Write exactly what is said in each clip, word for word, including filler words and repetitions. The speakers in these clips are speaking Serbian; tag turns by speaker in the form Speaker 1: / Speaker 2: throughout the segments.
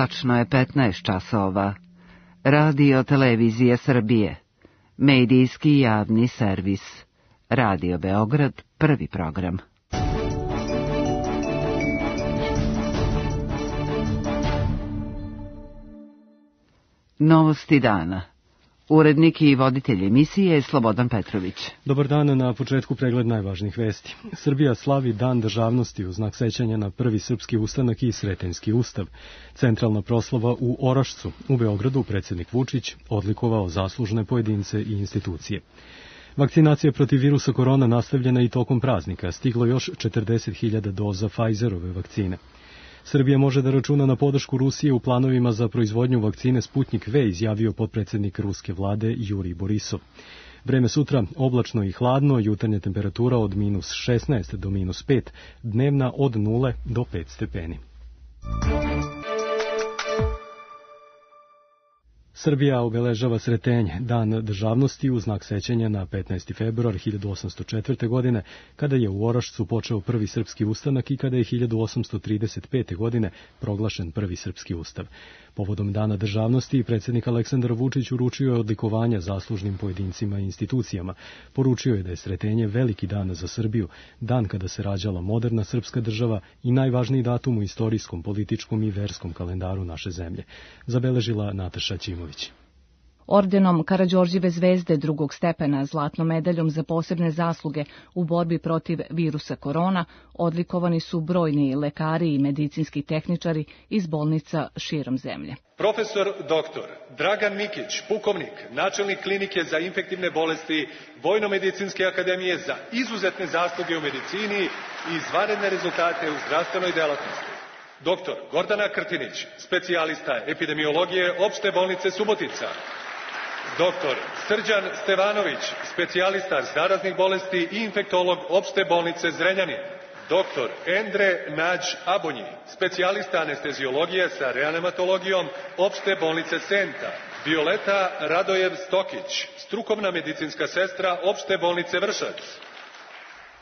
Speaker 1: Tačno je petnaest časova. Radio Televizija Srbije. Medijski javni servis. Radio Beograd, prvi program. Novosti dana. Urednik i voditelj emisije je Slobodan Petrović.
Speaker 2: Dobar dan, na početku pregled najvažnijih vesti. Srbija slavi Dan državnosti u znak sećanja na prvi srpski ustanak i Sretenjski ustav. Centralna proslava u Orašcu. U Beogradu predsjednik Vučić odlikovao zaslužne pojedince i institucije. Vakcinacija protiv virusa korona nastavljena i tokom praznika. Stiglo još četrdeset hiljada doza Pfizerove vakcine. Srbija može da računa na podršku Rusije u planovima za proizvodnju vakcine Sputnik V, izjavio potpredsjednik ruske vlade Jurij Borisov. Vreme sutra oblačno i hladno, jutarnja temperatura od minus šesnaest do minus pet, dnevna od nule do pet stepeni. Srbija obeležava Sretenje, dan državnosti u znak sećanja na petnaesti februar hiljadu osamsto četvrte. godine, kada je u Orašcu počeo prvi srpski ustanak i kada je hiljadu osamsto trideset pete. godine proglašen prvi srpski ustav. Povodom dana državnosti, predsjednik Aleksandar Vučić uručio je odlikovanja zaslužnim pojedincima i institucijama. Poručio je da je Sretenje veliki dan za Srbiju, dan kada se rađala moderna srpska država i najvažniji datum u istorijskom, političkom i verskom kalendaru naše zemlje. Zabeležila Nataša Ćimović.
Speaker 3: Ordenom Karađorđeve zvezde drugog stepena, zlatnom medaljom za posebne zasluge u borbi protiv virusa korona, odlikovani su brojni lekari i medicinski tehničari iz bolnica širom zemlje.
Speaker 4: Profesor doktor Dragan Mikić, pukovnik, načelnik klinike za infektivne bolesti Vojno-medicinske akademije, za izuzetne zasluge u medicini i izvanredne rezultate u zdravstvenoj delatnosti. Doktor Gordana Krtinić, specijalista epidemiologije Opšte bolnice Subotica. Doktor Srđan Stevanović, specijalista zaraznih bolesti i infektolog Opšte bolnice Zrenjanin. Doktor Endre Nađ Abonji, specijalista anesteziologije sa reanimatologijom Opšte bolnice Senta. Violeta Radojev Stokić, strukovna medicinska sestra Opšte bolnice Vršac.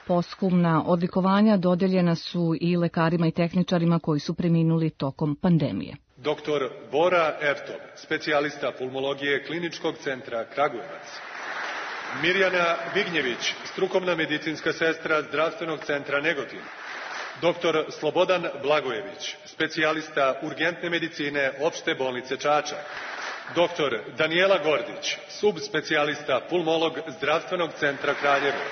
Speaker 3: Posthumna odlikovanja dodeljena su i lekarima i tehničarima koji su preminuli tokom pandemije.
Speaker 4: Doktor Bora Ertov, specijalista pulmologije Kliničkog centra Kragujevac. Mirjana Vignjević, strukovna medicinska sestra Zdravstvenog centra Negotin. Doktor Slobodan Blagojević, specijalista urgentne medicine Opšte bolnice Čačak. Doktor Danijela Gordić, subspecijalista pulmolog Zdravstvenog centra Kraljevo.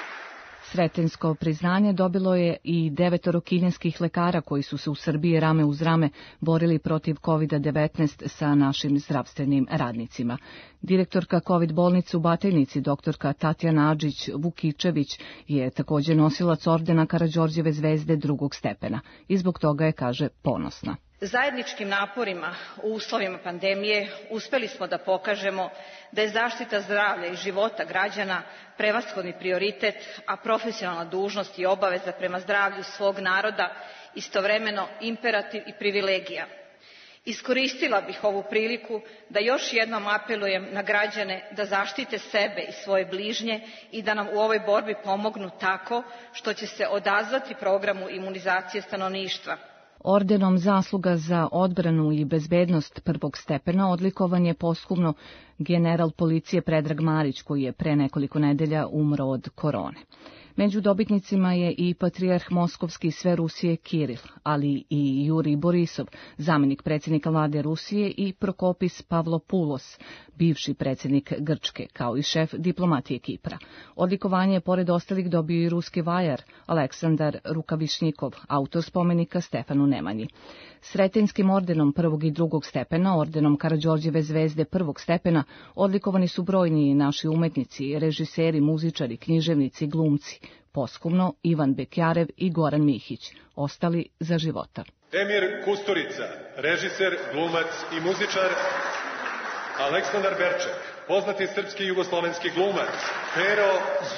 Speaker 3: Sretenjsko priznanje dobilo je i devetoro kineskih lekara koji su se u Srbiji rame uz rame borili protiv kovid devetnaest sa našim zdravstvenim radnicima. Direktorka kovid bolnice u Batajnici, doktorka Tatjana Adžić-Vukičević, je također nosilac ordena Karađorđeve zvezde drugog stepena i zbog toga je, kaže, ponosna.
Speaker 5: Zajedničkim naporima u uslovima pandemije uspeli smo da pokažemo da je zaštita zdravlja i života građana prevashodni prioritet, a profesionalna dužnost i obaveza prema zdravlju svog naroda istovremeno imperativ i privilegija. Iskoristila bih ovu priliku da još jednom apelujem na građane da zaštite sebe i svoje bližnje i da nam u ovoj borbi pomognu tako što će se odazvati programu imunizacije stanovništva.
Speaker 3: Ordenom zasluga za odbranu i bezbednost prvog stepena odlikovan je posthumno general policije Predrag Marić, koji je pre nekoliko nedelja umro od korone. Među dobitnicima je i patrijarh Moskovski sve Rusije Kiril, ali i Jurij Borisov, zamjenik predsjednika vlade Rusije, i Prokopis Pavlopoulos, bivši predsjednik Grčke, kao i šef diplomatije Kipra. Odlikovanje je pored ostalih dobio i ruski vajar Aleksandar Rukavišnjikov, autor spomenika Stefanu Nemanji. Sretenjskim ordenom prvog i drugog stepena, ordenom Karađorđeve zvezde prvog stepena, odlikovani su brojni naši umetnici, režiseri, muzičari, književnici, glumci. Posthumno Ivan Bekjarev i Goran Mihić, ostali za života.
Speaker 4: Emir Kusturica, režiser, glumac i muzičar. Aleksandar Berček, poznati srpski i jugoslovenski glumac. Pero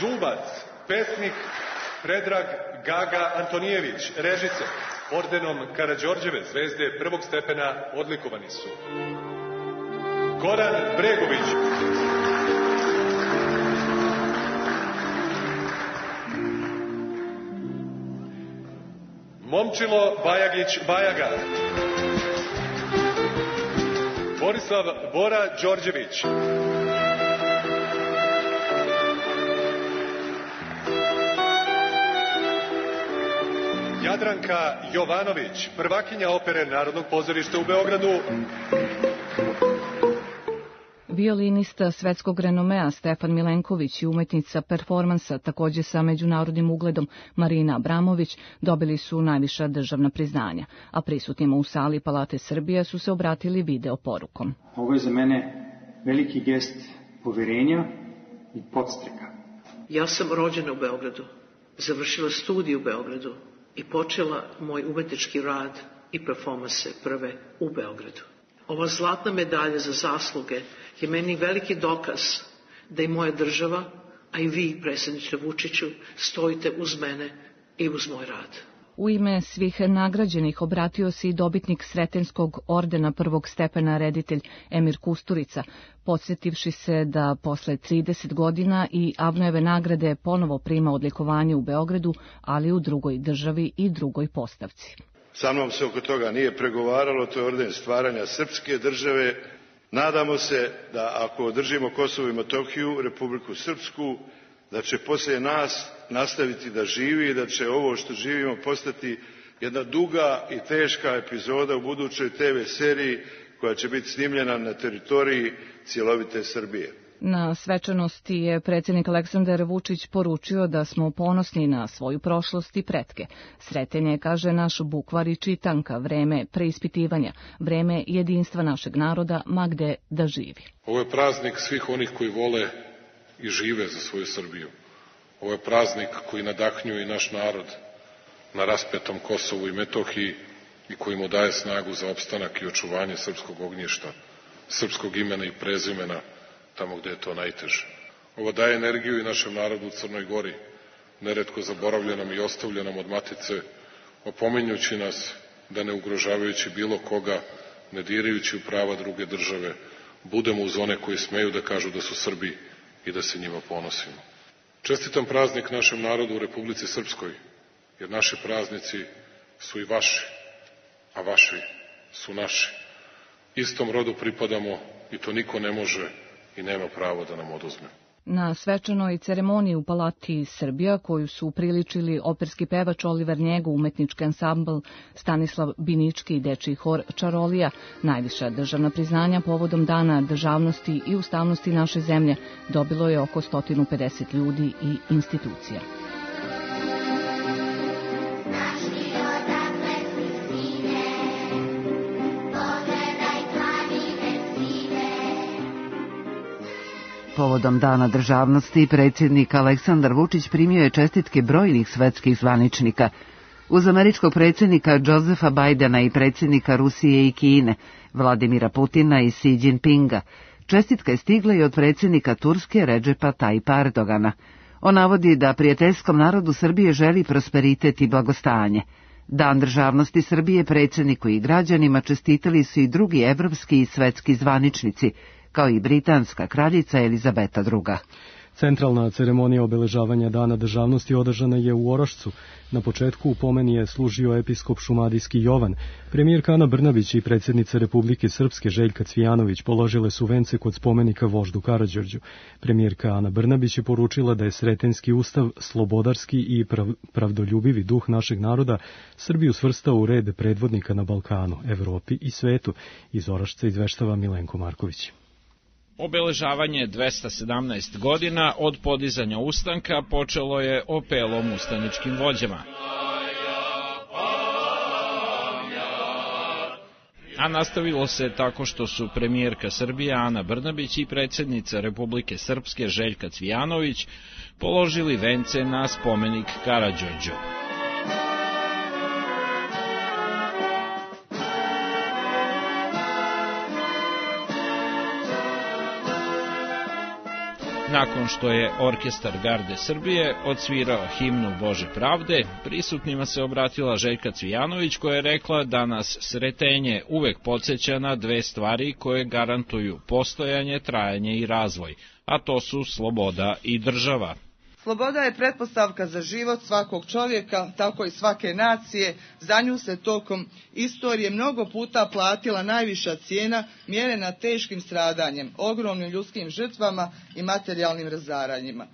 Speaker 4: Zubac, pesnik. Predrag Gaga Antonijević, režiser. Ordenom Karađorđeve zvezde prvog stepena odlikovani su Goran Bregović, Momčilo Bajagić Bajaga, Borislav Bora Đorđević. Jadranka Jovanović, prvakinja opere Narodnog pozorišta u Beogradu.
Speaker 3: Violinista svetskog renomea Stefan Milenković i umetnica performansa, takođe sa međunarodnim ugledom Marina Abramović, dobili su najviša državna priznanja, a prisutnima u sali Palate Srbije su se obratili video porukom.
Speaker 6: Ovo je za mene veliki gest poverenja i podstreka.
Speaker 7: Ja sam rođena u Beogradu, završila studij u Beogradu i počela moj umetnički rad i performanse prve u Beogradu. Ova zlatna medalja za zasluge je meni veliki dokaz da i moja država, a i vi, predsjedniče Vučiću, stojite uz mene i uz moj rad.
Speaker 3: U ime svih nagrađenih obratio se i dobitnik Sretenskog ordena prvog stepena reditelj Emir Kusturica, podsjetivši se da posle trideset godina i Avnojeve nagrade ponovo prima odlikovanje u Beogradu, ali u drugoj državi i drugoj postavci.
Speaker 8: Sa mnom se oko toga nije pregovaralo, to je orden stvaranja srpske države. Nadamo se da ako održimo Kosovo i Metohiju, Republiku Srpsku, da će poslije nas nastaviti da živi i da će ovo što živimo postati jedna duga i teška epizoda u budućoj te ve seriji koja će biti snimljena na teritoriji cjelovite Srbije.
Speaker 3: Na svečanosti je predsjednik Aleksandar Vučić poručio da smo ponosni na svoju prošlost i pretke. Sreten je, kaže, naš bukvar i čitanka, vreme preispitivanja, vreme jedinstva našeg naroda, ma gde da živi.
Speaker 9: Ovo je praznik svih onih koji vole i žive za svoju Srbiju. Ovo je praznik koji nadahnjuje i naš narod na raspetom Kosovu i Metohiji i koji mu daje snagu za opstanak i očuvanje srpskog ognjišta, srpskog imena i prezimena tamo gde je to najteže. Ovo daje energiju i našem narodu u Crnoj Gori, neretko zaboravljenom i ostavljenom od matice, opominjući nas da ne ugrožavajući bilo koga, ne dirajući u prava druge države, budemo uz one koji smeju da kažu da su Srbi i da se njima ponosimo. Čestitam praznik našem narodu u Republici Srpskoj, jer naši praznici su i vaši, a vaši su naši. Istom rodu pripadamo i to niko ne može i nema pravo da nam oduzme.
Speaker 3: Na svečanoj ceremoniji u Palati Srbija, koju su upriličili operski pevač Oliver Njego, umetnički ansambl Stanislav Binički i dečiji hor Čarolija, najviša državna priznanja povodom Dana državnosti i ustavnosti naše zemlje dobilo je oko sto pedeset ljudi i institucija.
Speaker 1: Povodom Dana državnosti, predsjednik Aleksandar Vučić primio je čestitke brojnih svetskih zvaničnika. Uz američkog predsjednika Josefa Bajdena i predsjednika Rusije i Kine, Vladimira Putina i Xi Jinpinga, čestitka je stigla i od predsjednika Turske Redžepa Tajpa Erdogana. On navodi da prijateljskom narodu Srbije želi prosperitet i blagostanje. Dan državnosti Srbije predsjedniku i građanima čestitali su i drugi evropski i svetski zvaničnici, kao i britanska kraljica Elizabeta druga.
Speaker 2: Centralna ceremonija obeležavanja Dana državnosti održana je u Orašcu. Na početku u pomeni je služio episkop šumadijski Jovan. Premijerka Ana Brnabić i predsjednica Republike Srpske Željka Cvijanović položile su vence kod spomenika voždu Karađorđu. Premijerka Ana Brnabić je poručila da je Sretenski ustav slobodarski i prav, pravdoljubivi duh našeg naroda Srbiju svrstao u red predvodnika na Balkanu, Evropi i svetu. Iz Orašca izveštava Milenko Marković.
Speaker 10: Obeležavanje dvesta sedamnaest godina od podizanja ustanka počelo je opelom ustaničkim vođama. A nastavilo se tako što su premijerka Srbije Ana Brnabić i predsjednica Republike Srpske Željka Cvijanović položili vence na spomenik Karađorđu. Nakon što je orkestar Garde Srbije odsvirao himnu Bože pravde, prisutnima se obratila Željka Cvijanović koja je rekla da nas Sretenje uvek podsjeća na dve stvari koje garantuju postojanje, trajanje i razvoj, a to su sloboda i država.
Speaker 11: Sloboda je pretpostavka za život svakog čovjeka, tako i svake nacije. Za nju se tokom istorije mnogo puta platila najviša cijena, mjerena teškim stradanjem, ogromnim ljudskim žrtvama i materijalnim razaranjima.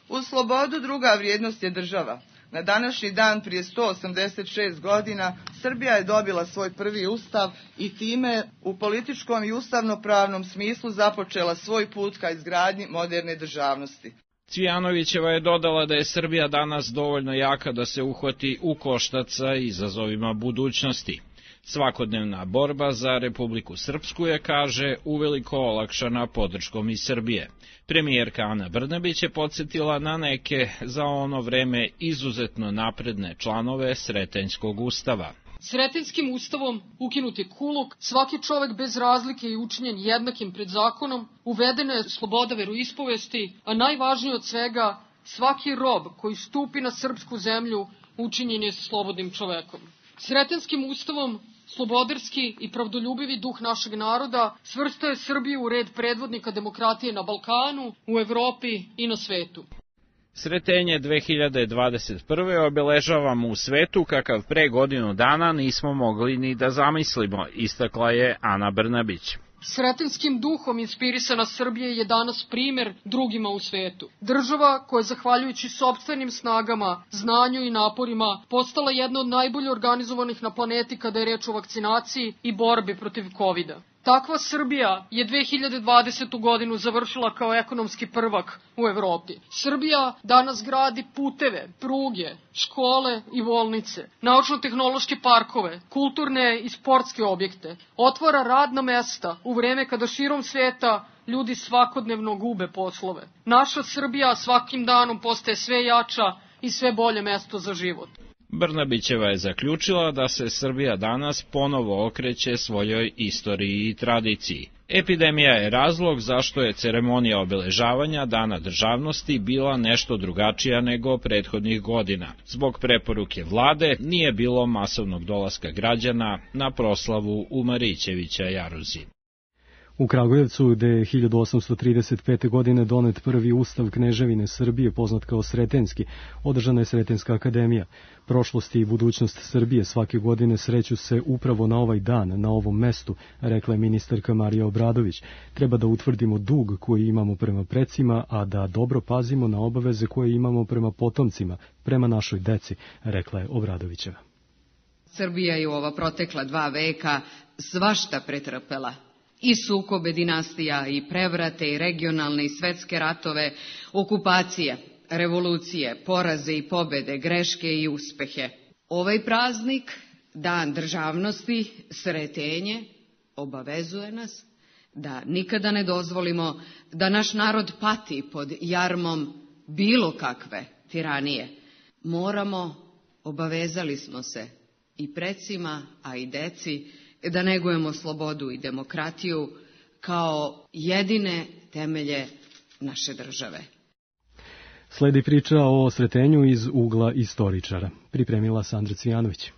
Speaker 11: Uz slobodu druga vrijednost je država. Na današnji dan prije sto osamdeset šest godina Srbija je dobila svoj prvi ustav i time u političkom i ustavnopravnom smislu započela svoj put ka izgradnji moderne državnosti.
Speaker 10: Cvijanovićeva je dodala da je Srbija danas dovoljno jaka da se uhvati u koštac sa izazovima budućnosti. Svakodnevna borba za Republiku Srpsku je, kaže, uveliko olakšana podrškom iz Srbije. Premijerka Ana Brnabić je podsjetila na neke za ono vreme izuzetno napredne članove Sretenjskog ustava.
Speaker 12: Sretenjskim ustavom ukinut je kuluk, svaki čovek bez razlike je učinjen jednakim pred zakonom, uvedena je sloboda veroispovesti, a najvažnije od svega, svaki rob koji stupi na srpsku zemlju učinjen je slobodnim čovekom. Sretenjskim ustavom slobodarski i pravdoljubivi duh našeg naroda svrstao je Srbiju u red predvodnika demokratije na Balkanu, u Evropi i na svetu.
Speaker 10: Sretenje dve hiljade dvadeset prve obeležavamo u svetu kakav pre godinu dana nismo mogli ni da zamislimo, istakla je Ana Brnabić.
Speaker 12: Sretenjskim duhom inspirisana Srbija je danas primer drugima u svetu. Država koja je zahvaljujući sopstvenim snagama, znanju i naporima postala jedna od najbolje organizovanih na planeti kada je reč o vakcinaciji i borbi protiv kovida. Takva Srbija je dve hiljade dvadesetu godinu završila kao ekonomski prvak u Evropi. Srbija danas gradi puteve, pruge, škole i bolnice, naučno-tehnološke parkove, kulturne i sportske objekte, otvara radna mesta u vreme kada širom sveta ljudi svakodnevno gube poslove. Naša Srbija svakim danom postaje sve jača i sve bolje mesto za život.
Speaker 10: Brnabićeva je zaključila da se Srbija danas ponovo okreće svojoj istoriji i tradiciji. Epidemija je razlog zašto je ceremonija obeležavanja Dana državnosti bila nešto drugačija nego prethodnih godina. Zbog preporuke vlade nije bilo masovnog dolaska građana na proslavu u Marićevića jaruzi.
Speaker 2: U Kragujevcu, gde je hiljadu osamsto trideset pete. godine donet prvi ustav Kneževine Srbije, poznat kao Sretenjski, održana je Sretenjska akademija. Prošlost i budućnost Srbije svake godine sreću se upravo na ovaj dan, na ovom mestu, rekla je ministarka Marija Obradović. Treba da utvrdimo dug koji imamo prema precima, a da dobro pazimo na obaveze koje imamo prema potomcima, prema našoj deci, rekla je Obradovićeva.
Speaker 13: Srbija je u ova protekla dva veka svašta pretrpela. I sukobe dinastija, i prevrate, i regionalne, i svetske ratove, okupacije, revolucije, poraze i pobede, greške i uspehe. Ovaj praznik, Dan državnosti, Sretenje, obavezuje nas da nikada ne dozvolimo da naš narod pati pod jarmom bilo kakve tiranije. Moramo, obavezali smo se i precima, a i deci, da negujemo slobodu i demokratiju kao jedine temelje naše države.
Speaker 2: Sledi priča o Sretenju iz ugla istoričara. Pripremila Sandra Cvijanović.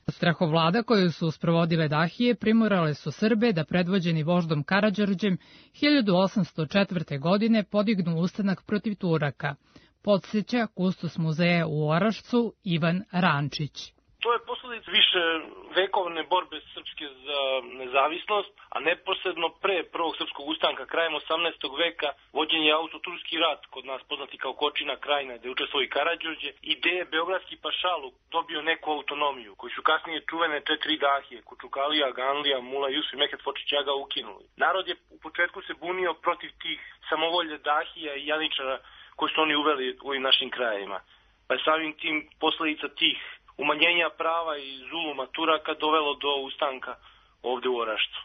Speaker 14: Strahovlada koju su sprovodile dahije primorale su Srbe da predvođeni voždom Karađorđem hiljadu osamsto četvrte. godine podignu ustanak protiv Turaka, podsjeća kustos muzeja u Orašcu Ivan Rančić.
Speaker 15: To je posledica više vekovne borbe srpske za nezavisnost, a neposredno pre prvog srpskog ustanka krajem osamnaestog veka vođen je auto-turski rat, kod nas poznati kao Kočina krajina, gde je učestvovao i Karađorđe, i gde je beogradski pašaluk dobio neku autonomiju, koji su kasnije čuvene četiri dahije, Kučukalija, Ganlija, Mula Jusuf i Mehmet Fočić Aga ukinuli. Narod je u početku se bunio protiv tih samovolje dahija i janičara koji su oni uveli u ovim našim krajevima. Pa je samim tim posledica tih umanjenja prava i zuluma Turaka dovelo do ustanka ovde u Orašcu.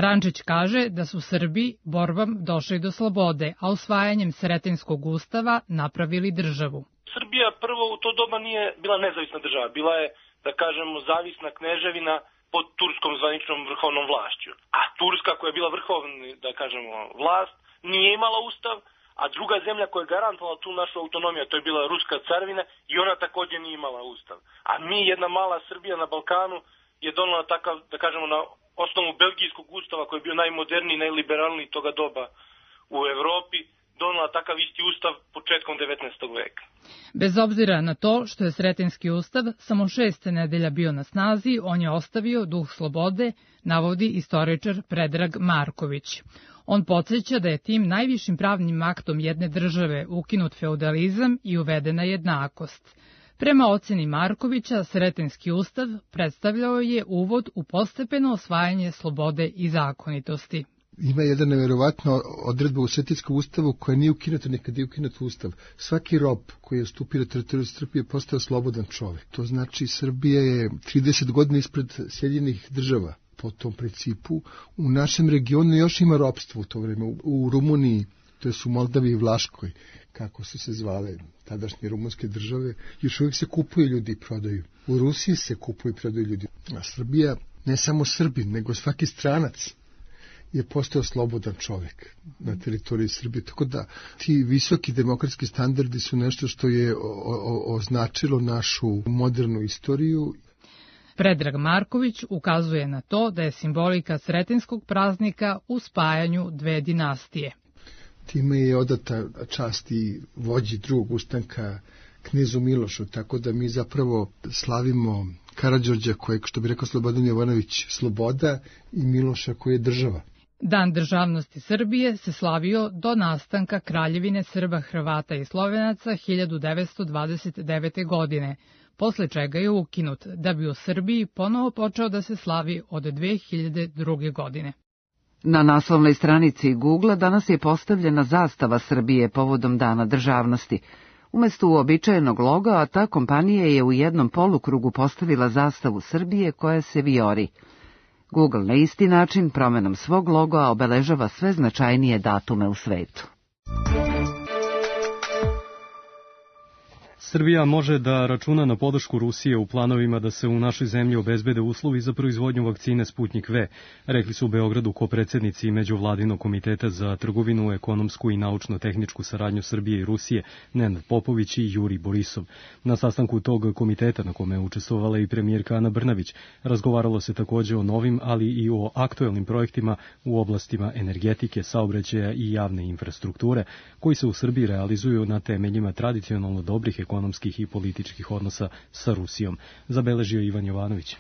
Speaker 14: Rančić kaže da su Srbi borbom došli do slobode, a usvajanjem Sretenjskog ustava napravili državu.
Speaker 15: Srbija prvo u to doba nije bila nezavisna država, bila je, da kažemo, zavisna kneževina pod turskom zvaničnom vrhovnom vlašću. A Turska, koja je bila vrhovna, da kažemo, vlast, nije imala ustav, a druga zemlja koja je garantovala tu našu autonomiju, to je bila Ruska carvina, i ona također nije imala ustav. A mi, jedna mala Srbija na Balkanu, je donela takav, da kažemo, na osnovu belgijskog ustava, koji je bio najmoderniji, najliberalniji toga doba u Evropi, donela takav isti ustav početkom devetnaestog veka.
Speaker 14: Bez obzira na to što je Sretenjski ustav samo šest nedelja bio na snazi, on je ostavio duh slobode, navodi istoričar Predrag Marković. On podsjeća da je tim najvišim pravnim aktom jedne države ukinut feudalizam i uvedena jednakost. Prema oceni Markovića, Sretenjski ustav predstavljao je uvod u postepeno osvajanje slobode i zakonitosti.
Speaker 16: Ima jedna neverovatna odredba u Sretenjskom ustavu koja nije ukinuta nikad je ukinut ustav. Svaki rob koji je stupio na teritoriju Srbije postao slobodan čovjek. To znači Srbija je trideset godina ispred Sjedinjenih država po tom principu. U našem regionu još ima ropstvo u to vreme. U Rumuniji, to je u Moldaviji i Vlaškoj, kako su se zvale tadašnje rumunske države, još uvijek se kupuju ljudi i prodaju. U Rusiji se kupuju i prodaju ljudi. A Srbija, ne samo Srbin, nego svaki stranac je postao slobodan čovjek na teritoriji Srbije. Tako da ti visoki demokratski standardi su nešto što je o, o, označilo našu modernu istoriju.
Speaker 14: Predrag Marković ukazuje na to da je simbolika Sretenjskog praznika u spajanju dve dinastije.
Speaker 16: Time je odata čast i vođi drugog ustanka knezu Milošu, tako da mi zapravo slavimo Karađorđa, kojeg, što bi rekao Slobodan Jovanović, sloboda, i Miloša koji je država.
Speaker 14: Dan državnosti Srbije se slavio do nastanka Kraljevine Srba, Hrvata i Slovenaca hiljadu devetsto dvadeset devete. godine, posle čega je ukinut, da bi u Srbiji ponovo počeo da se slavi od dve hiljade druge. godine.
Speaker 1: Na naslovnoj stranici Google danas je postavljena zastava Srbije povodom Dana državnosti. Umesto uobičajenog loga, ta kompanija je u jednom polukrugu postavila zastavu Srbije koja se vijori. Google na isti način promenom svog loga obeležava sve značajnije datume u svetu.
Speaker 2: Srbija može da računa na podršku Rusije u planovima da se u našoj zemlji obezbede uslovi za proizvodnju vakcine Sputnjik V, rekli su u Beogradu kopredsednici Međuvladinog komiteta za trgovinu, ekonomsku i naučno-tehničku saradnju Srbije i Rusije Nenad Popović i Jurij Borisov. Na sastanku tog komiteta, na kome je učestvovala i premijerka Ana Brnabić, razgovaralo se takođe o novim, ali i o aktuelnim projektima u oblastima energetike, saobraćaja i javne infrastrukture, koji se u Srbiji realizuju na temeljima tradicionalno dobrih ekonomskih ekonomskih i političkih odnosa sa Rusijom, zabeležio Ivan Jovanović.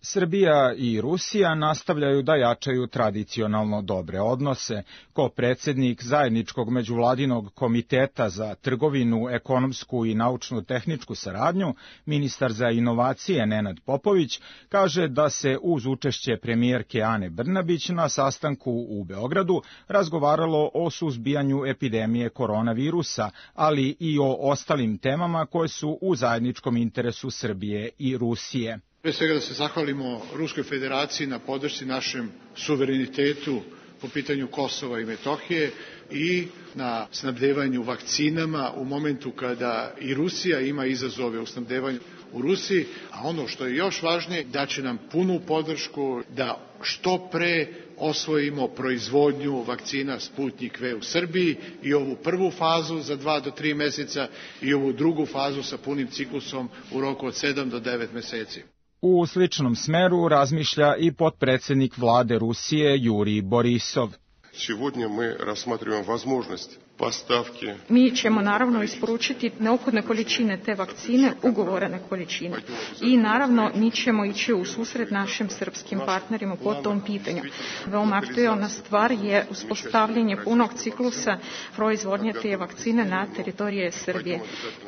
Speaker 17: Srbija i Rusija nastavljaju da jačaju tradicionalno dobre odnose. Ko predsjednik zajedničkog međuvladinog komiteta za trgovinu, ekonomsku i naučno-tehničku saradnju, ministar za inovacije Nenad Popović kaže da se uz učešće premijerke Ane Brnabić na sastanku u Beogradu razgovaralo o suzbijanju epidemije koronavirusa, ali i o ostalim temama koje su u zajedničkom interesu Srbije i Rusije.
Speaker 18: Pre svega da se zahvalimo Ruskoj federaciji na podršci našem suverenitetu po pitanju Kosova i Metohije i na snabdevanju vakcinama u momentu kada i Rusija ima izazove u snabdevanju u Rusiji, a ono što je još važnije, da će nam punu podršku da što pre osvojimo proizvodnju vakcina Sputnjik V u Srbiji i ovu prvu fazu za dva do tri meseca i ovu drugu fazu sa punim ciklusom u roku od sedam do devet meseci.
Speaker 17: U sličnom smeru razmišlja i potpredsjednik vlade Rusije Jurij Borisov.
Speaker 19: Сегодня мы рассматриваем возможность поставки.
Speaker 20: Mi ćemo naravno isporučiti neophodne količine te vakcine, ugovorene količine. I naravno mi ćemo ići u susret našim srpskim partnerima po tom pitanju. Veoma aktuelna stvar je uspostavljanje punog ciklusa proizvodnje te vakcine na teritorije Srbije.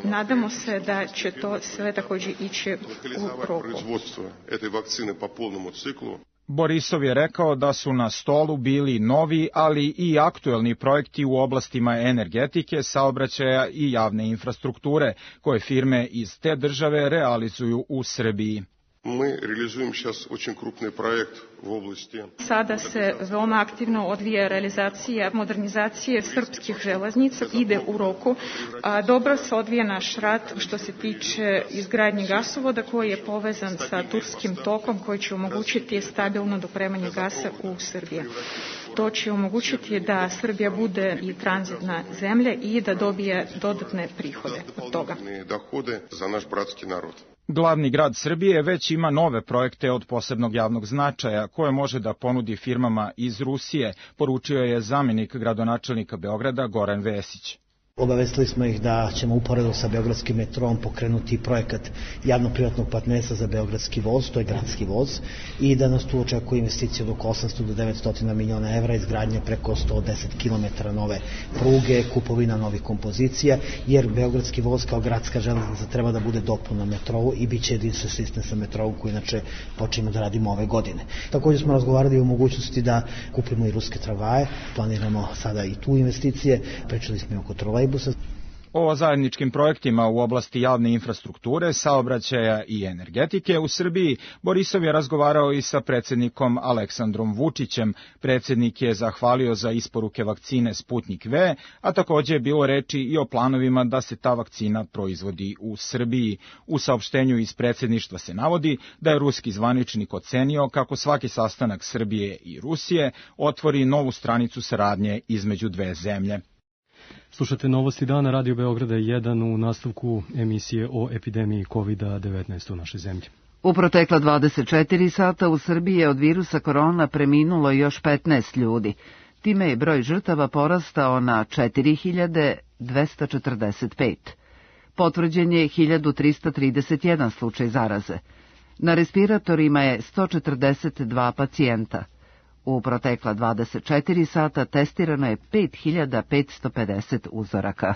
Speaker 20: Nadamo se da će to sve također ići u roku.
Speaker 19: Производство этой вакцины по полному циклу.
Speaker 17: Borisov je rekao da su na stolu bili novi, ali i aktuelni projekti u oblastima energetike, saobraćaja i javne infrastrukture, koje firme iz te države realizuju u Srbiji.
Speaker 19: Мы реализуем сейчас очень крупный проект в области.
Speaker 20: Sada se veoma aktivno odvija realizacija modernizacije srpskih železnica, ide u roku. A dobro se odvija naš rad što se tiče izgradnje gasovoda koji je povezan sa turskim tokom koji će omogućiti stabilno dopremanje gasa u Srbiji. to će omogućiti da Srbija bude i tranzitna zemlja i da dobije dodatne prihode od toga.
Speaker 19: Dohode za naš bratski narod.
Speaker 17: Glavni grad Srbije već ima nove projekte od posebnog javnog značaja koje može da ponudi firmama iz Rusije, poručio je zamenik gradonačelnika Beograda Goran Vesić.
Speaker 21: Obavestili smo ih da ćemo uporedo sa Beogradskim metrom pokrenuti projekat javno-privatnog partnerstva za Beogradski voz, to je gradski voz, i da nas tu očekuje investicija od oko osamsto do devetsto miliona evra, izgradnja preko sto deset kilometara nove pruge, kupovina novih kompozicija, jer Beogradski voz kao gradska železnica treba da bude dopuna metrovu i bit će jedinstven sistem sa metrovom koji inače počinjemo da radimo ove godine. Također smo razgovarali o mogućnosti da kupimo i ruske tramvaje, planiramo sada i tu investicije, pričali smo i oko trolejbusa.
Speaker 17: O zajedničkim projektima u oblasti javne infrastrukture, saobraćaja i energetike u Srbiji Borisov je razgovarao i sa predsjednikom Aleksandrom Vučićem. Predsjednik je zahvalio za isporuke vakcine Sputnik V, a također je bilo reči i o planovima da se ta vakcina proizvodi u Srbiji. U saopštenju iz predsjedništva se navodi da je ruski zvaničnik ocenio kako svaki sastanak Srbije i Rusije otvori novu stranicu saradnje između dve zemlje.
Speaker 2: Slušate Novosti dana Radio Beograda jedan u nastavku emisije o epidemiji kovid devetnaest u našoj zemlji.
Speaker 1: U protekla dvadeset četiri sata u Srbiji je od virusa korona preminulo još petnaest ljudi. Time je broj žrtava porastao na četiri hiljade dvesta četrdeset pet. Potvrđen je hiljadu trista trideset jedan slučaj zaraze. Na respiratorima je sto četrdeset dva pacijenta. U protekla dvadeset četiri sata testirano je pet hiljada petsto pedeset uzoraka.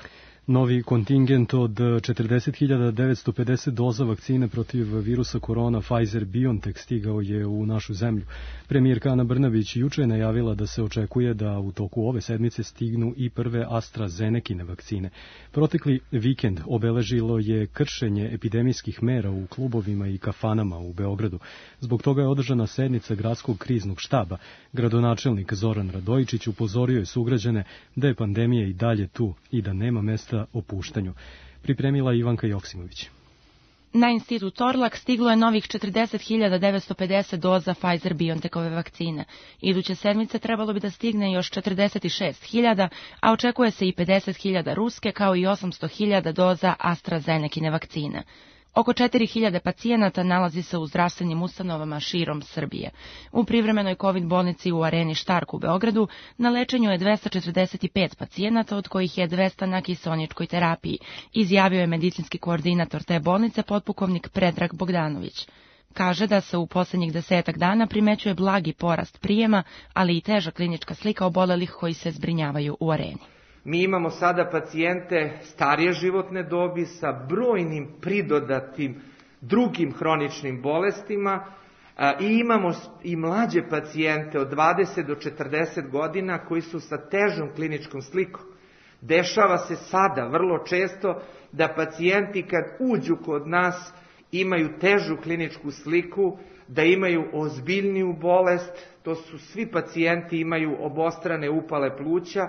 Speaker 2: Novi kontingent od četrdeset hiljada devetsto pedeset doza vakcine protiv virusa korona Pfizer-BioNTech stigao je u našu zemlju. Premijerka Ana Brnabić juče je najavila da se očekuje da u toku ove sedmice stignu i prve AstraZenekine vakcine. Protekli vikend obeležilo je kršenje epidemijskih mera u klubovima i kafanama u Beogradu. Zbog toga je održana sednica gradskog kriznog štaba. Gradonačelnik Zoran Radojičić upozorio je sugrađane da je pandemija i dalje tu i da nema mesta opuštanju. Pripremila Ivanka Joksimović.
Speaker 22: Na institut Torlak stiglo je novih četrdeset hiljada devetsto pedeset doza Pfizer-BioNTechove vakcine. Iduće sedmice trebalo bi da stigne još četrdeset šest hiljada, a očekuje se i pedeset hiljada ruske kao i osamsto hiljada doza AstraZenekine vakcine. Oko četiri hiljade pacijenata nalazi se u zdravstvenim ustanovama širom Srbije. U privremenoj COVID bolnici u Areni Štark u Beogradu na lečenju je dvesta četrdeset pet pacijenata, od kojih je dvesta na kiseoničkoj terapiji, izjavio je medicinski koordinator te bolnice potpukovnik Predrag Bogdanović. Kaže da se u posljednjih desetak dana primećuje blagi porast prijema, ali i teža klinička slika obolelih koji se zbrinjavaju u Areni.
Speaker 23: Mi imamo sada pacijente starije životne dobi sa brojnim pridodatim drugim hroničnim bolestima i imamo i mlađe pacijente od dvadeset do četrdeset godina koji su sa težom kliničkom slikom. Dešava se sada vrlo često da pacijenti kad uđu kod nas imaju težu kliničku sliku, da imaju ozbiljniju bolest, to su svi pacijenti imaju obostrane upale pluća,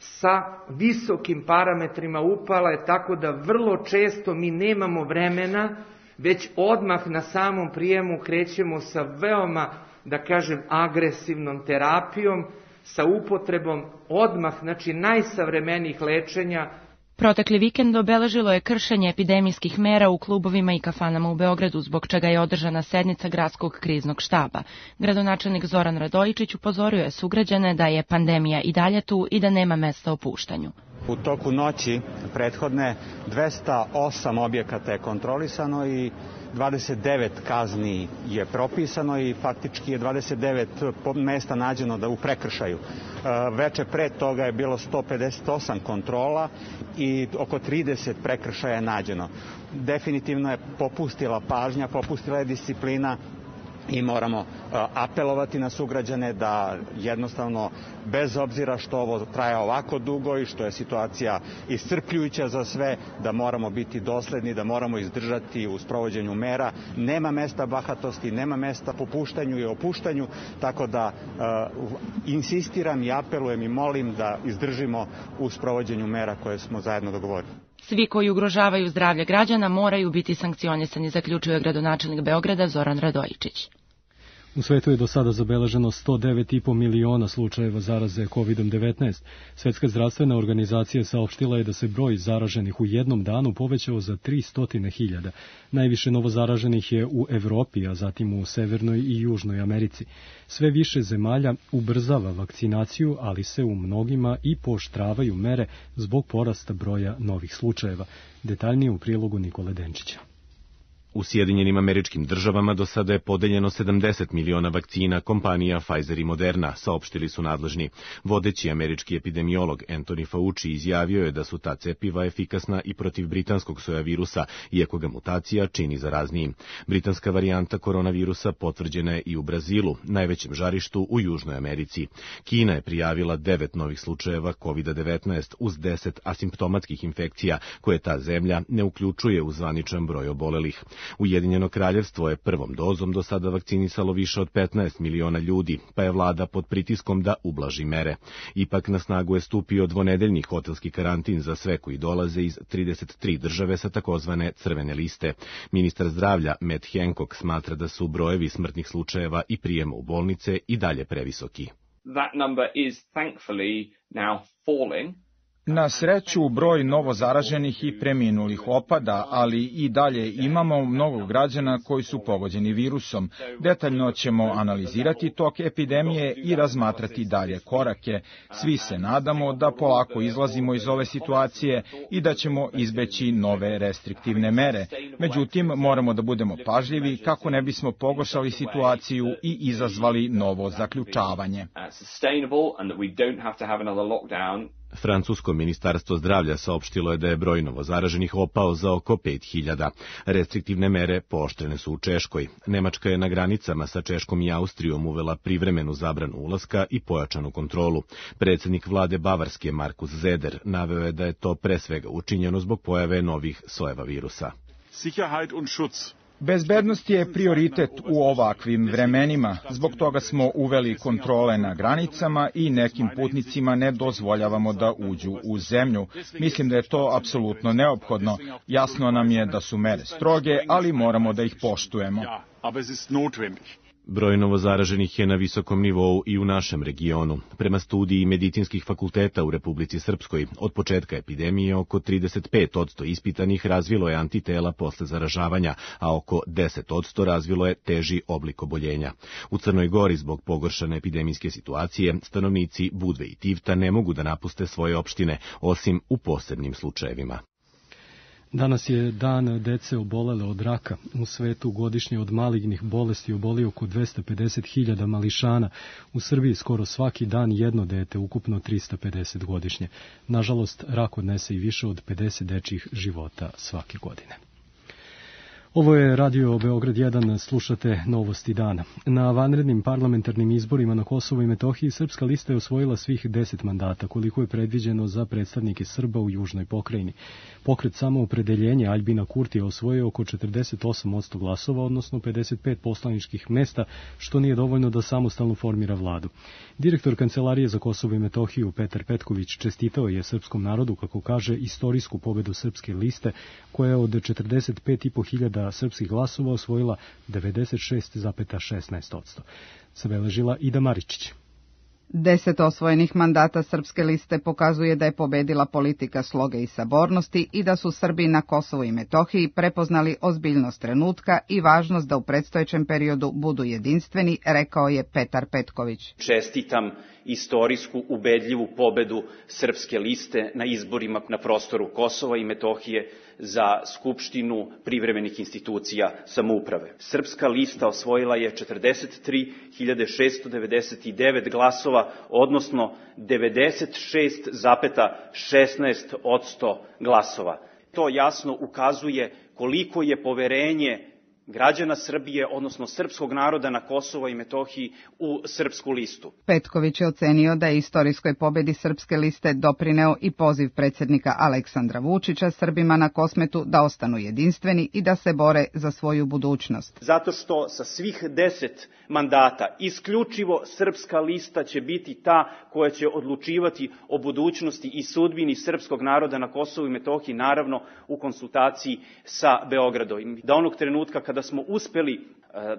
Speaker 23: sa visokim parametrima upale, tako da vrlo često mi nemamo vremena, već odmah na samom prijemu krećemo sa veoma, da kažem, agresivnom terapijom, sa upotrebom odmah, znači najsavremenijih lečenja.
Speaker 22: Protekli vikend obeležilo je kršenje epidemijskih mera u klubovima i kafanama u Beogradu, zbog čega je održana sednica gradskog kriznog štaba. Gradonačelnik Zoran Radojičić upozorio je sugrađane da je pandemija i dalje tu i da nema mesta opuštanju.
Speaker 24: U toku noći prethodne dvesta osam objekata je kontrolisano i dvadeset devet kazni je propisano i faktički je dvadeset devet mesta nađeno da u prekršaju. Veče pre toga je bilo sto pedeset osam kontrola i oko trideset prekršaja je nađeno. Definitivno je popustila pažnja, popustila je disciplina i moramo apelovati na sugrađane da jednostavno, bez obzira što ovo traje ovako dugo i što je situacija iscrpljujuća za sve, da moramo biti dosledni, da moramo izdržati u sprovođenju mera. Nema mesta bahatosti, nema mesta popuštanju i opuštanju, tako da uh, insistiram i apelujem i molim da izdržimo u sprovođenju mera koje smo zajedno dogovorili.
Speaker 22: Svi koji ugrožavaju zdravlje građana moraju biti sankcionisani, zaključio je gradonačelnik Beograda Zoran Radojičić.
Speaker 2: U svetu je do sada zabeleženo sto devet i po miliona slučajeva zaraze kovidom devetnaest. Svetska zdravstvena organizacija saopštila je da se broj zaraženih u jednom danu povećao za tristo hiljada. Najviše novozaraženih je u Evropi, a zatim u Severnoj i Južnoj Americi. Sve više zemalja ubrzava vakcinaciju, ali se u mnogima i pooštravaju mere zbog porasta broja novih slučajeva. Detaljnije u prilogu Nikole Denčića.
Speaker 4: U Sjedinjenim Američkim Državama do sada je podeljeno sedamdeset miliona vakcina kompanija Pfizer i Moderna, saopštili su nadležni. Vodeći američki epidemiolog Anthony Fauci izjavio je da su ta cepiva efikasna i protiv britanskog sojavirusa, iako ga mutacija čini zaraznijim. Britanska varijanta koronavirusa potvrđena je i u Brazilu, najvećem žarištu u Južnoj Americi. Kina je prijavila devet novih slučajeva kovida devetnaest uz deset asimptomatskih infekcija, koje ta zemlja ne uključuje u zvaničan broj obolelih. Ujedinjeno kraljevstvo je prvom dozom do sada vakcinisalo više od petnaest miliona ljudi, pa je vlada pod pritiskom da ublaži mere. Ipak na snagu je stupio dvonedeljni hotelski karantin za sve koji dolaze iz trideset tri države sa takozvane crvene liste. Ministar zdravlja Matt Hancock smatra da su brojevi smrtnih slučajeva i prijema u bolnice i dalje previsoki.
Speaker 5: That number is thankfully now falling.
Speaker 17: Na sreću, broj novozaraženih i preminulih opada, ali i dalje imamo mnogo građana koji su pogođeni virusom. Detaljno ćemo analizirati tok epidemije i razmatrati dalje korake. Svi se nadamo da polako izlazimo iz ove situacije i da ćemo izbeći nove restriktivne mere. Međutim, moramo da budemo pažljivi kako ne bismo pogoršali situaciju i izazvali novo zaključavanje.
Speaker 4: Francusko ministarstvo zdravlja saopštilo je da je broj novozaraženih opao za oko pet hiljada. Restriktivne mere pooštrene su u Češkoj. Nemačka je na granicama sa Češkom i Austrijom uvela privremenu zabranu ulaska i pojačanu kontrolu. Predsjednik vlade Bavarske Markus Zeder naveo je da je to pre svega učinjeno zbog pojave novih sojeva virusa.
Speaker 6: Sicherheit und Schutz.
Speaker 17: Bezbednost je prioritet u ovakvim vremenima. Zbog toga smo uveli kontrole na granicama i nekim putnicima ne dozvoljavamo da uđu u zemlju. Mislim da je to apsolutno neophodno. Jasno nam je da su mere stroge, ali moramo da ih poštujemo.
Speaker 4: Broj novozaraženih je na visokom nivou i u našem regionu. Prema studiji medicinskih fakulteta u Republici Srpskoj, od početka epidemije oko trideset pet posto ispitanih razvilo je antitela posle zaražavanja, a oko deset posto razvilo je teži oblik oboljenja. U Crnoj Gori zbog pogoršane epidemijske situacije, stanovnici Budve i Tivta ne mogu da napuste svoje opštine, osim u posebnim slučajevima.
Speaker 2: Danas je dan dece obolele od raka. U svetu godišnje od malignih bolesti oboli oko dvesta pedeset hiljada mališana. U Srbiji skoro svaki dan jedno dete, ukupno trista pedeset godišnje. Nažalost, rak odnese i više od pedeset dečjih života svake godine. Ovo je Radio Beograd jedan, slušate Novosti dana. Na vanrednim parlamentarnim izborima na Kosovu i Metohiji Srpska lista je osvojila svih deset mandata, koliko je predviđeno za predstavnike Srba u južnoj pokrajini. Pokret Samoopredeljenje Aljbina Kurtija osvojio oko četrdeset osam posto glasova, odnosno pedeset pet poslaničkih mesta, što nije dovoljno da samostalno formira vladu. Direktor Kancelarije za Kosovo i Metohiju Petar Petković čestitao je srpskom narodu, kako kaže, istorijsku pobedu Srpske liste, koja je od četrdeset pet i po hiljada srpskih glasova osvojila devedeset šest zarez šesnaest posto. Zabeležila Ida Maričić.
Speaker 7: Deset osvojenih mandata Srpske liste pokazuje da je pobedila politika sloge i sabornosti i da su Srbi na Kosovu i Metohiji prepoznali ozbiljnost trenutka i važnost da u predstojećem periodu budu jedinstveni, rekao je Petar Petković.
Speaker 25: Čestitam istorijsku ubedljivu pobedu Srpske liste na izborima na prostoru Kosova i Metohije za Skupštinu privremenih institucija samouprave. Srpska lista osvojila je četrdeset tri hiljade šesto devedeset devet glasova, odnosno devedeset šest zarez šesnaest posto glasova. To jasno ukazuje koliko je poverenje građana Srbije, odnosno srpskog naroda na Kosovo i Metohiji u Srpsku listu.
Speaker 7: Petković je ocenio da je istorijskoj pobedi Srpske liste doprineo i poziv predsjednika Aleksandra Vučića Srbima na Kosmetu da ostanu jedinstveni i da se bore za svoju budućnost.
Speaker 25: Zato što sa svih deset mandata isključivo Srpska lista će biti ta koja će odlučivati o budućnosti i sudbini srpskog naroda na Kosovu i Metohiji, naravno u konsultaciji sa Beogradom. Da onog trenutka kada smo uspeli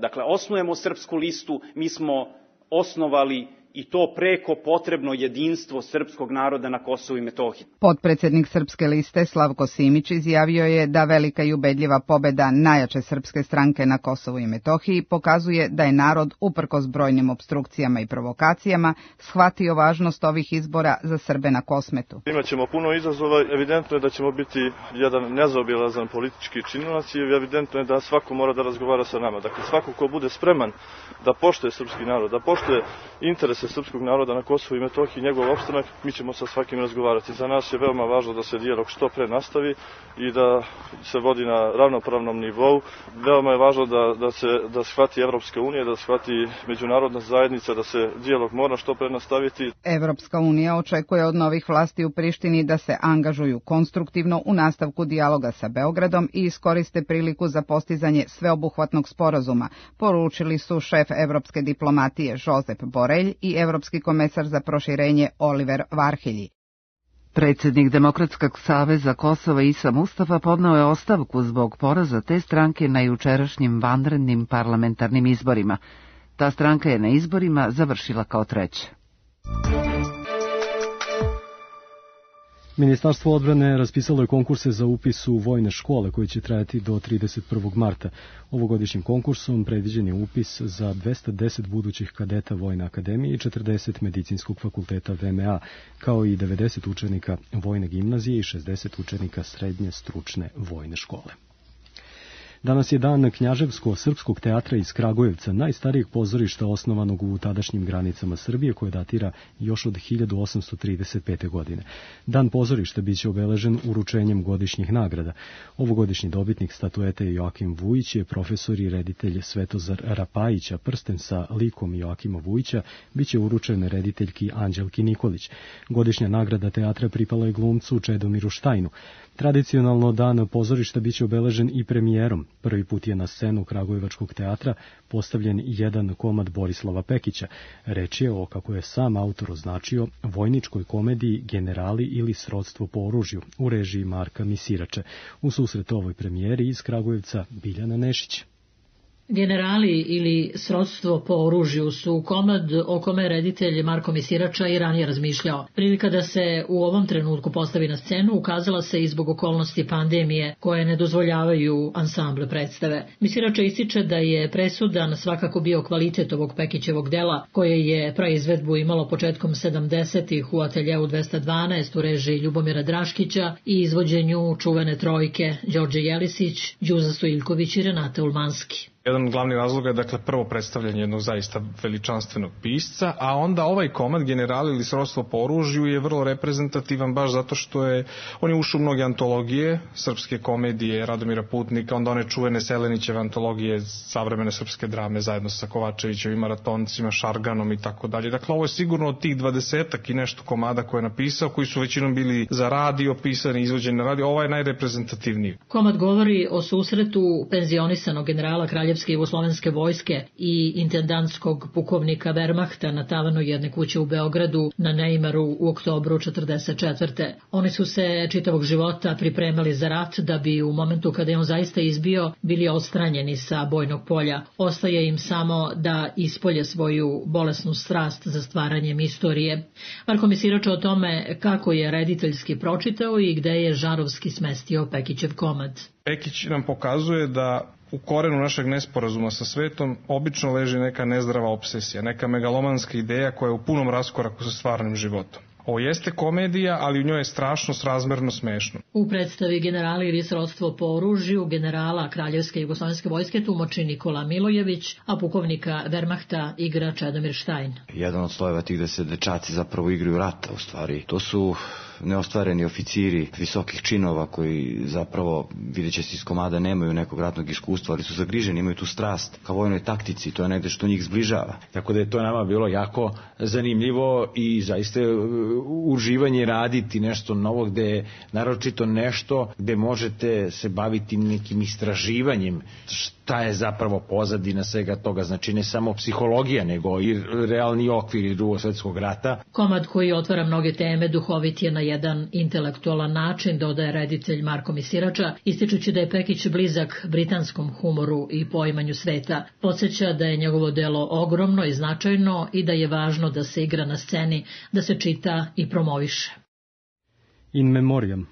Speaker 25: Dakle, osnujemo Srpsku listu, mi smo osnovali i to preko potrebno jedinstvo srpskog naroda na Kosovu i Metohiji.
Speaker 7: Potpredsednik Srpske liste Slavko Simić izjavio je da velika i ubedljiva pobeda najjače srpske stranke na Kosovu i Metohiji pokazuje da je narod, uprkos brojnim opstrukcijama i provokacijama, shvatio važnost ovih izbora za Srbe na Kosmetu.
Speaker 3: Imaćemo puno izazova, evidentno je da ćemo biti jedan nezaobilazan politički činilac i evidentno je da svako mora da razgovara sa nama. Dakle, svako ko bude spreman da poštuje srpski narod, da poštuje interese srpskog naroda na Kosovu i Metohiji, njegov opstanak, mi ćemo sa svakim razgovarati. Za nas je veoma važno da se dijalog što pre nastavi i da se vodi na ravnopravnom nivou. Veoma je važno da, da se da shvati Evropska unija, da shvati međunarodna zajednica, da se dijalog mora što pre nastaviti.
Speaker 7: Evropska unija očekuje od novih vlasti u Prištini da se angažuju konstruktivno u nastavku dijaloga sa Beogradom i iskoriste priliku za postizanje sveobuhvatnog sporazuma, poručili su šef evropske diplomatije Josep Borelj i evropski komesar za proširenje Oliver Varhelji.
Speaker 1: Predsjednik Demokratskog saveza Kosova Isa Mustafa podneo je ostavku zbog poraza te stranke na jučerašnjim vanrednim parlamentarnim izborima. Ta stranka je na izborima završila kao treća.
Speaker 2: Ministarstvo odbrane raspisalo je konkurse za upis u vojne škole koji će trajati do trideset prvog marta. Ovogodišnjim konkursom predviđen je upis za dvesta deset budućih kadeta Vojne akademije i četrdeset medicinskog fakulteta V M A, kao i devedeset učenika Vojne gimnazije i šezdeset učenika srednje stručne vojne škole. Danas je dan Knjaževsko-srpskog teatra iz Kragujevca, najstarijeg pozorišta osnovanog u tadašnjim granicama Srbije, koje datira još od hiljadu osamsto trideset pete. godine. Dan pozorišta biće obeležen uručenjem godišnjih nagrada. Ovogodišnji dobitnik statuete Joakim Vujić je profesor i reditelj Svetozar Rapajić, a prsten sa likom Joakima Vujića biće uručen rediteljki Anđelki Nikolić. Godišnja nagrada teatra pripala je glumcu Čedomiru Štajnu. Tradicionalno dan pozorišta biće obeležen i premijerom. Prvi put je na scenu Kragujevačkog teatra postavljen jedan komad Borislava Pekića. Reč je o, kako je sam autor označio, vojničkoj komediji Generali ili srodstvo po oružju u režiji Marka Misirače. U susret ovoj premijeri iz Kragujevca Biljana Nešić.
Speaker 6: Generali ili srodstvo po oružju su komad o kome reditelj Marko Misirača i ranije razmišljao. Prilika da se u ovom trenutku postavi na scenu ukazala se i zbog okolnosti pandemije koje ne dozvoljavaju ansamble predstave. Misirača ističe da je presudan svakako bio kvalitet ovog Pekićevog dela, koje je praizvedbu imalo početkom sedamdesetih u ateljeu dvesta dvanaest u režiji Ljubomira Draškića i izvođenju čuvene trojke Đorđe Jelisić, Đuza Stojilković i Renate Ulmanski.
Speaker 8: Jedan glavni razlog je, dakle, prvo predstavljanje jednog zaista veličanstvenog pisca, a onda ovaj komad Generali ili srodstvo po oružju je vrlo reprezentativan baš zato što je, on je ušao u mnoge antologije, srpske komedije Radomira Putnika, onda one čuvene Selenićeve antologije savremene srpske drame zajedno sa Kovačevićevim maratoncima, Šarganom i tako dalje. Dakle, ovo je sigurno od tih dvadesetak i nešto komada koje je napisao, koji su većinom bili za radio, pisani, izvođeni na radio, ovaj je najreprezentativniji.
Speaker 6: Komad govori o susretu penzionisanog generala Kraljevske jugoslovenske vojske i intendantskog pukovnika Wehrmachta na tavanu jedne kuće u Beogradu na Neimaru u oktobru četrdeset četvrte. Oni su se čitavog života pripremali za rat da bi u momentu kada je on zaista izbio bili odstranjeni sa bojnog polja. Ostaje im samo da ispolje svoju bolesnu strast za stvaranjem istorije. Marko Misirača o tome kako je rediteljski pročitao i gde je žarovski smestio Pekićev komad.
Speaker 8: Pekić nam pokazuje da u korenu našeg nesporazuma sa svetom obično leži neka nezdrava obsesija, neka megalomanska ideja koja je u punom raskoraku sa stvarnim životom. Ovo jeste komedija, ali u njoj je strašno srazmerno smešno.
Speaker 6: U predstavi Generali ili srodstvo po oružju generala Kraljevske jugoslovenske vojske tumači Nikola Milojević, a pukovnika Wehrmachta igra Čedomir Štajn.
Speaker 9: Jedan od slojeva tih da se dečaci zapravo igraju rata, u stvari. To su neostvareni oficiri visokih činova koji zapravo, vidjet će se iz komada, nemaju nekog ratnog iskustva, ali su zagriženi, imaju tu strast ka vojnoj taktici, to je negde što njih zbližava.
Speaker 11: Tako da je to nama bilo jako zanimljivo i zaista uživanje raditi nešto novo, gde je naročito nešto gde možete se baviti nekim istraživanjem šta je zapravo pozadina svega toga, znači ne samo psihologija, nego i realni okvir Drugog svjetskog rata.
Speaker 6: Komad koji otvara mnoge teme duhovit je na jedan intelektualan način, dodaje reditelj Marko Misirača, ističući da je Pekić blizak britanskom humoru i poimanju sveta. Podsjeća da je njegovo delo ogromno i značajno i da je važno da se igra na sceni, da se čita i promoviše.
Speaker 2: In memoriam.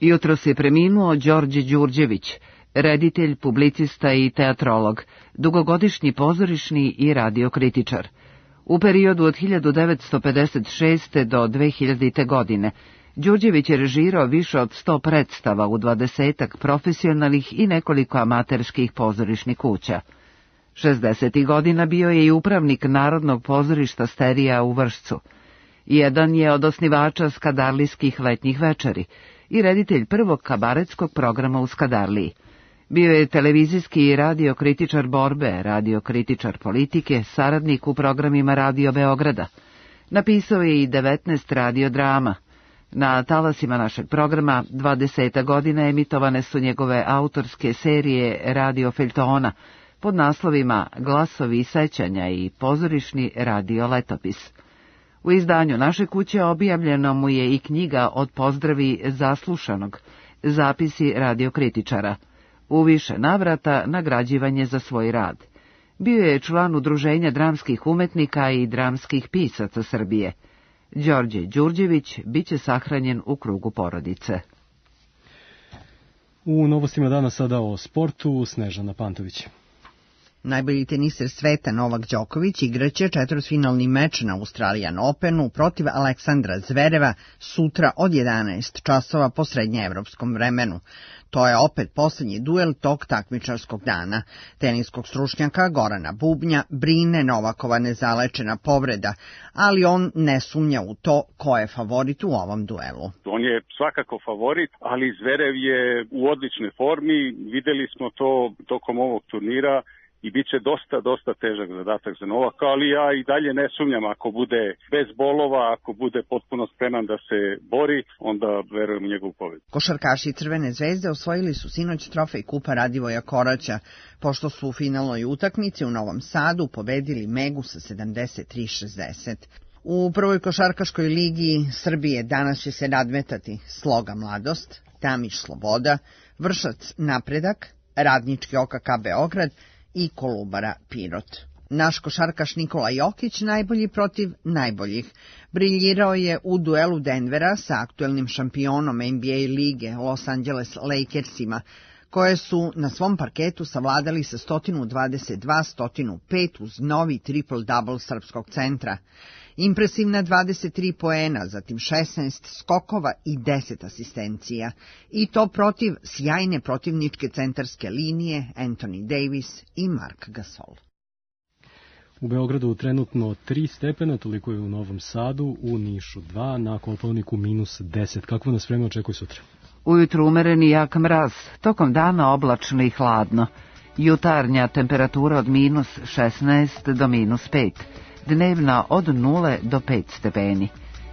Speaker 1: Jutros je preminuo Đorđe Đurđević, reditelj, publicista i teatrolog, dugogodišnji pozorišni i radiokritičar. U periodu od hiljadu devetsto pedeset šeste. do dve hiljadite. godine Đurđević je režirao više od sto predstava u dvadesetak profesionalnih i nekoliko amaterskih pozorišnih kuća. šezdesetih godina bio je i upravnik Narodnog pozorišta Sterija u Vršcu. Jedan je od osnivača skadarlijskih letnjih večeri i reditelj prvog kabaretskog programa u Skadarliji. Bio je televizijski i radiokritičar borbe, radiokritičar politike, saradnik u programima Radio Beograda. Napisao je i devetnaest radiodrama. Na talasima našeg programa dvadeseta godina emitovane su njegove autorske serije Radio Feljtona pod naslovima Glasovi sećanja i Pozorišni radio letopis. U izdanju naše kuće objavljeno mu je i knjiga Od pozdravi zaslušanog, zapisi radiokritičara. U više navrata nagrađivanje za svoj rad. Bio je član Udruženja dramskih umetnika i dramskih pisaca Srbije. Đorđe Đurđević biće sahranjen u krugu porodice.
Speaker 2: U novostima dana sada o sportu, Snežana Pantović.
Speaker 10: Najbolji teniser sveta Novak Đoković igraće četvrtfinalni meč na Australian Openu protiv Aleksandra Zvereva sutra od jedanaest časova po srednjeevropskom vremenu. To je opet posljednji duel tog takmičarskog dana. Teniskog stručnjaka Gorana Bubnja brine Novakova nezalečena povreda, ali on ne sumnja u to ko je favorit u ovom duelu.
Speaker 12: On je svakako favorit, ali Zverev je u odličnoj formi. Videli smo to tokom ovog turnira. I bit će dosta, dosta težak zadatak za Novaka, ali ja i dalje ne sumnjam, ako bude bez bolova, ako bude potpuno spreman da se bori, onda verujem u njegovu pobedu.
Speaker 10: Košarkaši Crvene zvezde osvojili su sinoć trofej Kupa Radivoja Koraća, pošto su u finalnoj utakmici u Novom Sadu pobedili Megu sa sedamdeset tri šezdeset. U prvoj košarkaškoj ligi Srbije danas će se nadmetati Sloga Mladost, Tamiš Sloboda, Vršac Napredak, Radnički O K K Beograd i Kolubara Pirot. Naš košarkaš Nikola Jokić najbolji protiv najboljih. Briljirao je u duelu Denvera sa aktuelnim šampionom N B A lige Los Angeles Lakersima, koje su na svom parketu savladali sa sto dvadeset dva sto pet uz novi triple-double srpskog centra. Impresivna dvadeset tri poena, zatim šesnaest skokova i deset asistencija. I to protiv sjajne protivničke centarske linije Anthony Davis i Mark Gasol.
Speaker 2: U Beogradu trenutno tri stepena, toliko je u Novom Sadu, u Nišu dva, na Kopaoniku minus deset. Kako nas vreme očekuje sutra?
Speaker 1: Ujutru umeren i jak mraz, tokom dana oblačno i hladno. Jutarnja temperatura od minus šesnaest do minus pet. Dnevna od nule do pet stepeni.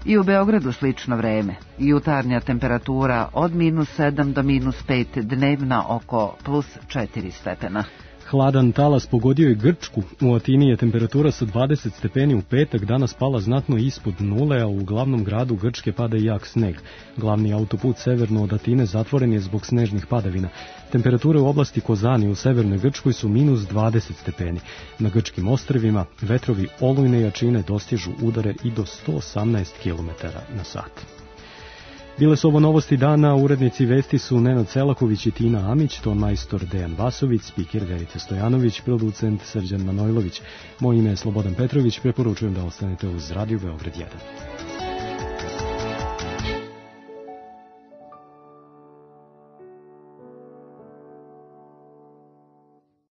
Speaker 1: I u Beogradu slično vreme. Jutarnja temperatura od minus sedam do minus pet, dnevna oko plus četiri stepena.
Speaker 2: Hladan talas pogodio je Grčku. U Atini je temperatura sa dvadeset stepeni u petak danas pala znatno ispod nule, a u glavnom gradu Grčke pada i jak sneg. Glavni autoput severno od Atine zatvoren je zbog snežnih padavina. Temperature u oblasti Kozani u severnoj Grčkoj su minus dvadeset stepeni. Na grčkim ostrvima vetrovi olujne jačine dostižu udare i do sto osamnaest kilometara na sat. Bile su ovo novosti dana, urednici vesti su Nenad Selaković i Tina Amić, ton majstor Dejan Vasović, spiker Verica Stojanović, producent Srđan Manojlović. Moje ime je Slobodan Petrović, preporučujem da ostanete uz Radio Beograd jedan.